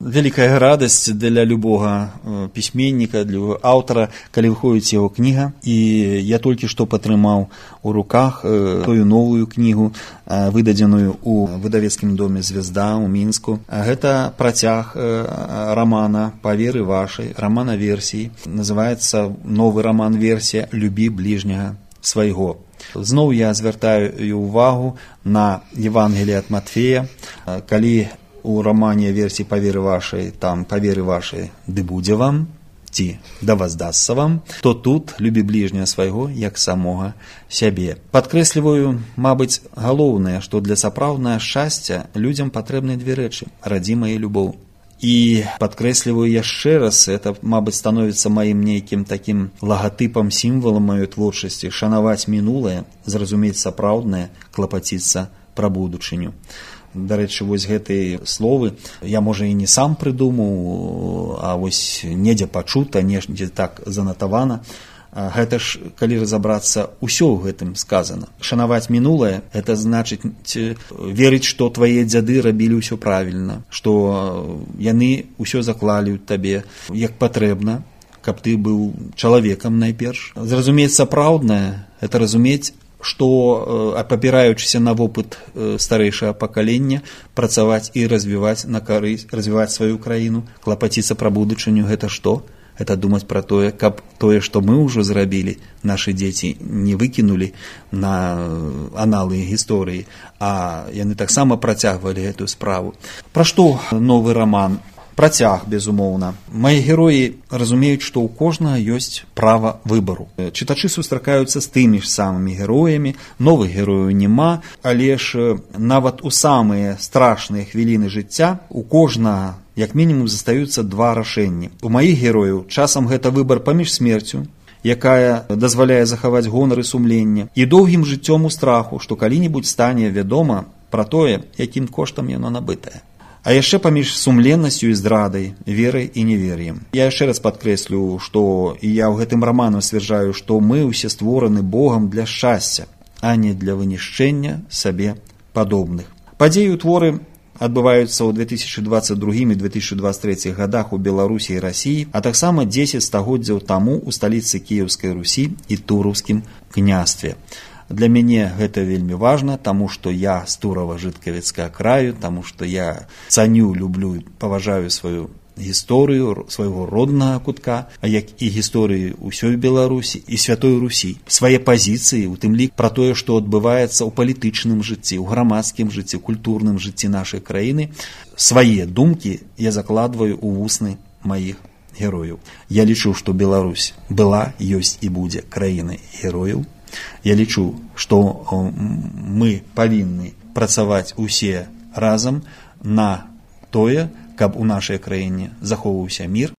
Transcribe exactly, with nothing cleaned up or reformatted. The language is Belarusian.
Вялікая радасць для любога пісьменніка, для аўтара, калі выходзіць яго кніга. І я толькі што падтрымаў у руках тую новую кнігу, выдадзеную ў выдавецкім доме «Звезда» ў Мінску. Гэта працяг рамана «Па веры вашай», рамана-версіі. Называецца новы раман-версія «Любі бліжняга свайго». Зноў я звяртаю ўвагу на Евангелие ад Матфея, калі у романе версии «По вере вашей», там «По вере вашей ды будзе вам», ці «Да воздасться вам», то тут «Любі ближнего свайго, як самога сябе». Падкрэсліваю, мабыць, галоўнае, што для сапраўднага шчасця людзям патрэбны две рэчы – радзіма і любоў. І падкрэсліваю яшчэ раз, это, мабыць, становіцца маім нейкім такім лагатыпам, сімвалам маёй творчасці – шанаваць мінулае, зразумець сапраўднае, клапаціцца пра будучыню. Дарэчы, вось гэтыя словы я, можа, і не сам прыдумаў, а вось недзе пачута, недзе так занатавана. Гэта ж, калі разабрацца, усё ў гэтым сказана. Шанаваць мінулае – гэта значыць верыць, што твае дзяды рабілі ўсё правільна, што яны ўсё заклалі ў табе як патрэбна, каб ты быў чалавекам найперш. Зразумець сапраўднае – гэта разумець, што, апапіраючыся на вопыт старэйшага пакалення, працаваць і развіваць на карысць, развіваць сваю краіну, клапаціцца пра будучыню, гэта што? Гэта думаць пра тое, каб тое, што мы ўжо зрабілі, нашы дзеці не выкінулі на аналы гісторыі, а яны таксама працягвалі гэтую справу. Пра што новы раман? Працяг, безумоўна. Мае героі разумеюць, што ў кожнага ёсць права выбару. Чытачы сустракаюцца з тымі ж самымі героямі, новых герояў няма, але ж нават у самыя страшныя хвіліны жыцця у кожнага, як мінімум, застаюцца два рашэнні. У маіх герояў часам гэта выбар паміж смерцю, якая дазваляе захаваць гонар і сумленне, і доўгім жыццём у страху, што калі-небудзь стане вядома пра тое, якім коштам яно набытае. А яшчэ паміж сумленнасцю і здрадай, верай і невер'ем. Я яшчэ раз падкрэслю, што і я ў гэтым раманам сцвярджаю, што мы ўсе створаны Богам для шчасця, а не для вынішчэння сабе падобных. Падзеі ў творы адбываюцца ў две тысячы дваццаць другім і две тысячы дваццаць трэцім гадах у Беларусі і Расіі, а таксама дзесяць стагоддзяў таму ў сталіцы Кіеўскай Русі і Тураўскім княстве. Для мяне гэта вельмі важна, таму што я з Турава-Жыткавіцкага краю, таму што я цаню, люблю, паважаю сваю гісторыю, свайго роднага кутка, а як і гісторыі ўсёй Беларусі і святой Русі. Свае пазіцыі, у тым лік пра тое, што адбываецца ў палітычным жыцці, ў грамадскім жыцці, культурным жыцці нашай краіны, свае думкі я закладваю ў вусны маіх герояў. Я лічу, што Беларусь была, ёсць і будзе краінай герояў. Я лічу, што мы павінны працаваць усе разам на тое, каб у нашай краіне захоўваўся мір,